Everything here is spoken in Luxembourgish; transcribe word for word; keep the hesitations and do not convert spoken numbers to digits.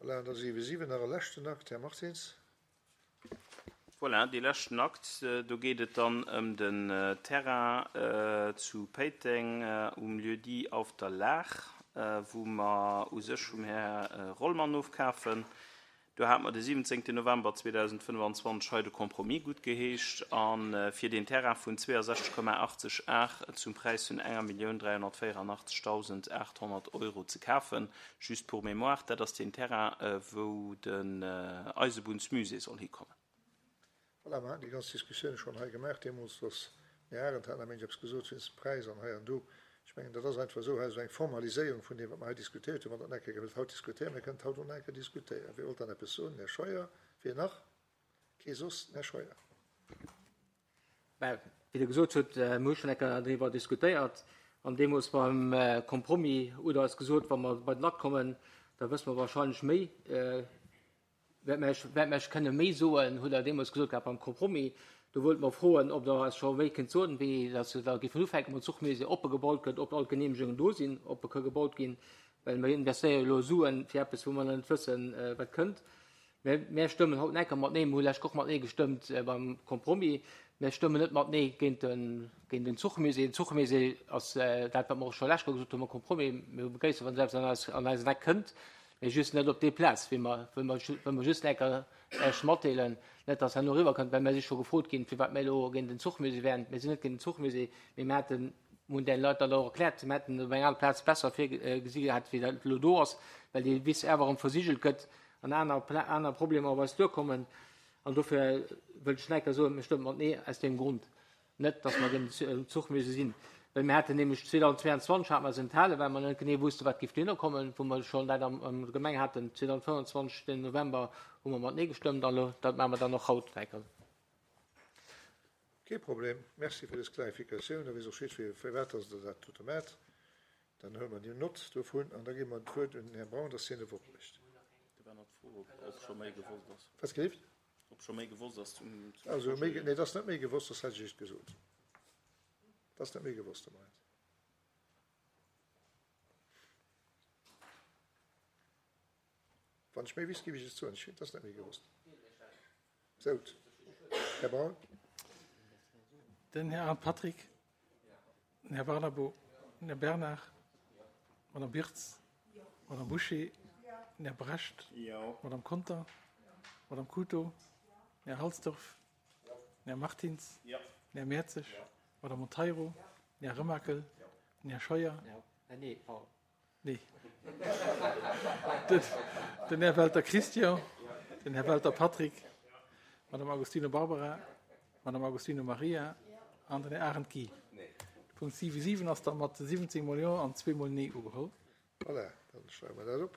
Voilà, an da siwe siwen nach e leschten Akt, Här Martins. Voilà, dee leschten Akt, do geet et dann ëm den Terrain zu Péiteng um Lieu-dit Auf der Laach, wou mer u sech vum Här Rollmann ofkafen. Do hate mer de siwwenzéngten November zweedausendfënnfanzwanzeg hei de Compromis guttgeheescht a fir deen Terrain vun zweeasechzeg Komma achtzeg Ar zum Präis vun enger Millioun dräihonnertvéierandachtzegdausendachthonnert Euro ze kafen. Just pour mémoire, dat ass deen Terrain, wou den Eisebunnsmusée soll hikommen. Voilà, mer haten déi ganz Diskussioun schonn hei gemaach deemools, dass den Här Arendt hat nach méint eppes gesot wéinst dem Präis an hei an do. Ech mengen, dat ass einfach esou, hei ass eng Formaliséierung vun deem, wat mer hei diskutéiert hunn. Wann Der nach eng Kéier wëllt haut diskutéieren, mir kënnen et haut och nach eng Kéier diskutéieren. Wie wollt dann eppes soen? Den Här Scheuer. Wien nach? Kee soss? Den Här Scheuer. Mä wéi Der gesot hutt, mir hu schonn eng Kéier driwwer diskutéiert an deemools beim Compromis hutt Der eis gesot, wa mer bei den Akt kommen, da wësse mer wahrscheinlech méi. Wäert mer Iech, wäert mer Iech kënne méi soen, hutt Der deemools gesot gehat beim Compromis. Do wollte mer froen, ob Der eis scho méi kënnt soen, wéini dass se da géifen ufänken mam Zuchmusée, ob e gebaut gëtt, ob all d'Genehmegungen do sinn, ob e ka gebaut ginn, well mir investéiere jo elo Suen fir eppes, wou mer nach net wëssen, wat kënnt. Mä mär stëmmen haut enker mat Nee, mir hu lech och mat Nee gestëmmt beim Compromis. Mär stëmmen net mat Nee géint den, géint den Zuchmusée. Den Zuchmusée ass dat, wat mer och scho lech gesot hu mam Compromis. Mir begréissen, wann se eppes an eis, an eisen Eck kënnt. Mee just net op déi Plaz, wéi mer, wëll mer, wëll mer just enker Iech matdeelen, net dass herno eriwwerkënnt, well mir si scho gefrot ginn, firwat mir elo géint den Zuchmusée wären. Mir sinn net géint den Zuchmusée, mee mir hätten, mir hunn deene Leit dat och erkläert, mir hätten op eng aner Plaz besser virgesi gehat, wéi dat elo do ass, well déi Wiss awer erëm versigelt gëtt an aner, aner Problemer op eis duerkommen. An dofir wëllt ech enker soen, mir stëmmen mat Nee aus deem Grond. Net, dass mer géint den Zuchmusée sinn, well mir haten nämlech zweedausendzweianzwanzeg hate mer se enthalen, well mer net genee wussten, wat géif duerno kommen, wou mer schonn dat am, am Gemeng haten. zweedausendfënnfanzwanzeg den November hu mer mat Nee gestëmmt an elo, dat maache mer dann och haut enker. Kee Problem. Merci fir dës Klarifikatioun. Da weess och jiddweree, firwat dass Der dat dote maacht. Dann huele mer déi Nott dovun an da gi mer d'Wuert un den Här Braun, dass hien e Wort mécht. Do war nach d'Fro, ob scho méi gewosst ass. Wat gelift? Ob scho méi gewosst ass zum Also méi, nee, et ass net méi gewosst, soss hätt ech et gesot. Et ass net méi gewosst de Moment. Wann ech méi wüsst, géif ech et soen. Et ass net méi gewosst. Sout. Här Braun. Den Här Arndt Patrick, den Här Barnabo, den Här Bernard, d'Madame Birtz, d'Madame Bouché, den Här Brecht, d'Madame Conter, d'Madame Couto, den Här Halsdorf, den Här Martins, den Här Mertzig, d'Madame Monteiro, den Här Remakel, den Här Scheuer, nee, den Här Welter Christian, den Här Welter Patrick, d'Madame Agostino Barbara, d'Madame Agostino Maria an den Här Arendt Guy. De Punkt siwe siwen ass da mat siwwenzéng mol Jo an zwee mol Nee ugeholl. Voilà, dann schreiwe mer dat op.